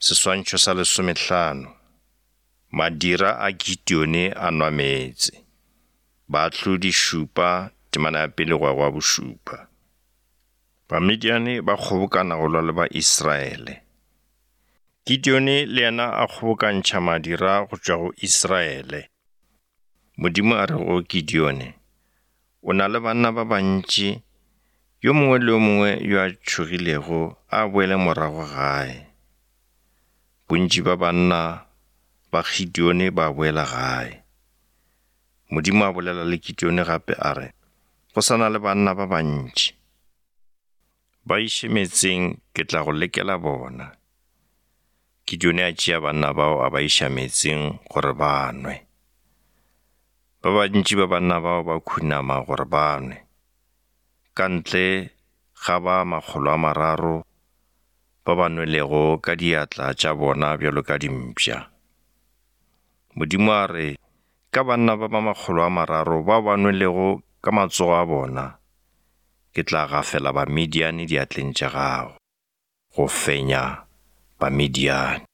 Seswantšho sa lesomehlano. Madira a Gideone a nwa meetse. Baahlodi šupa, temana ya pele go ya go ya bošupa. Bamidiane ba kgobokana go lwa le ba-Israele. Gideone le yena a kgobokantšha madira go tšwa go Israele. Modimo a re go Gideone, O na le banna ba bantši, yo mongwe le yo mongwe yo a tšhogilego a boele morago gae. Bontši ba banna ba Gideone ba boela gae. Modimo a bolela le Gideone gape a re, Go sa na le banna ba bantši. Ba iše meetseng ke tla go lekela bona. Gideone a tšea banna bao a ba iša meetseng gore ba nwe. Ba bantši ba banna bao ba khunama gore ba nwe. Ka ntle ga ba 300 ba ba nwelego ka diatla tša bona bjalo ka dimpša. Modimo a re, Ka banna ba ba 300 bao ba nwelego ka matsogo a bona, ke tla gafela Bamidiane diatleng tša gago. Go fenya Bamidiane.